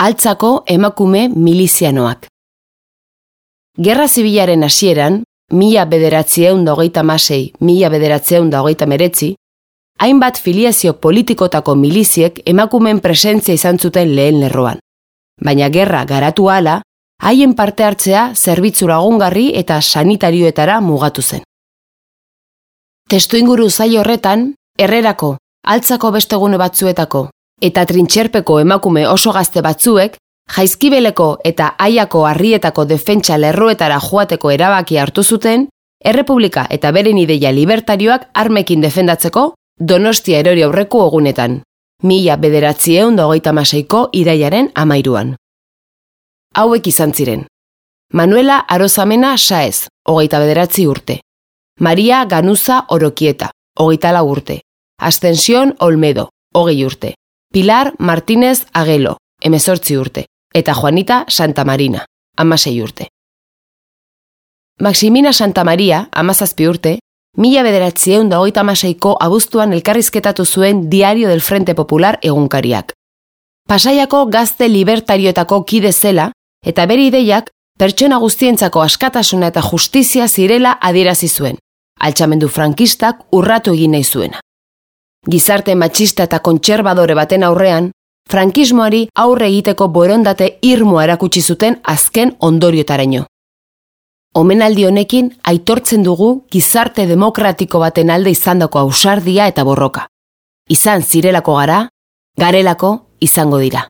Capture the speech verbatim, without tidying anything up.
altzako emakume milizianoak. Gerra zibilaren hasieran, mila bederatziehun da hogeita hamasei, mila bederatziehun da hogeita hemeretzi, hainbat filiazio politikotako miliziek emakumeen presentzia izan zuten lehen lerroan. Baina gerra garatu ahala, haien parte hartzea zerbitzu lagungarri eta sanitarioetara mugatu zen. Testuinguru zail horretan, Herrerako, altzako beste gune batzuetako eta trintxerpeko emakume oso gazte batzuek, Jaizkibeleko eta Aiako harrietako defentsa lerroetara joateko erabaki hartu zuten, Errepublika eta beren ideia libertarioak armekin defendatzeko Donostia erori aurreko egunetan, mila bederatziehun da hogeita hamaseiko irailaren hamairuan. Hauek izan ziren: Manuela Arozamena Saez, hogeita bederatzi urte; Maria Ganuza Orokieta, hogeita lau urte; Ascensión Olmedo, hogei urte; Pilar Martínez Agelo, hemezortzi urte; eta Juanita Santamarina, hamasei urte. Maximina Santamaria, hamazazpi urte, mila bederatziehun da hogeita hamaseiko abuztuan elkarrizketatu zuen Diario del Frente Popular egunkariak. Pasaiako gazte libertarioetako kide zela, eta bere ideiak pertsona guztientzako askatasuna eta justizia zirela adierazi zuen, altxamendu frankistak urratu egin nahi zuena. Gizarte matxista eta kontserbadore baten aurrean, frankismoari aurre egiteko borondate irmoa erakutsi zuten azken ondoriotaraino. Omenaldi honekin aitortzen dugu gizarte demokratiko baten alde izandako ausardia eta borroka. Izan zirelako gara, garelako izango dira.